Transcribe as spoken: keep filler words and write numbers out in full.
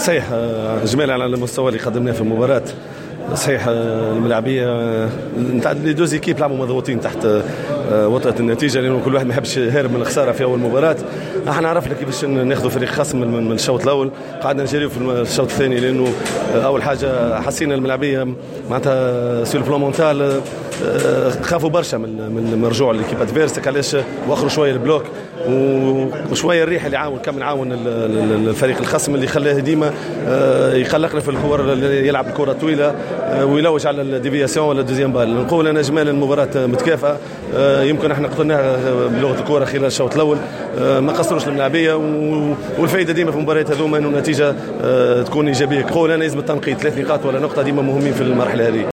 صحيح، اجمالا على المستوى اللي قدمناه في المباراه، صحيح الملاعبيه نتاع les deux équipes لعبوا مضغوطين تحت آه، وطأة النتيجه، لانه كل واحد ما يحبش يهرب من الخسارة في اول مباراه. احنا عرفنا كيفاش ناخذوا فريق خصم من الشوط الاول، قعدنا نجريو في الشوط الثاني، لانه آه، اول حاجة حسينا الملاعبيه معناتها sur le plan mental خافوا برشا من من رجوع l'équipe adverse، علاش وخروا شوية ال bloc وشوية الريح اللي عاون كان عاون الفريق الخصم اللي خلاه ديما آه، يقلقنا في الكور، يلعب الكره الطويلة آه، ويلوج على ال déviation ولا deuxième balle. نقول انا اجمالا المباراة متكافئه، آه، يمكن احنا قتلناها بلغه الكره خلال الشوط الاول، ما قصروش الملاعبيه، والفائدة ديما في المباريات هذوما انه النتيجة تكون ايجابيه. نقول انا لازم التنقيط، ثلاث نقاط ولا نقطة ديما مهمين في المرحلة هذه.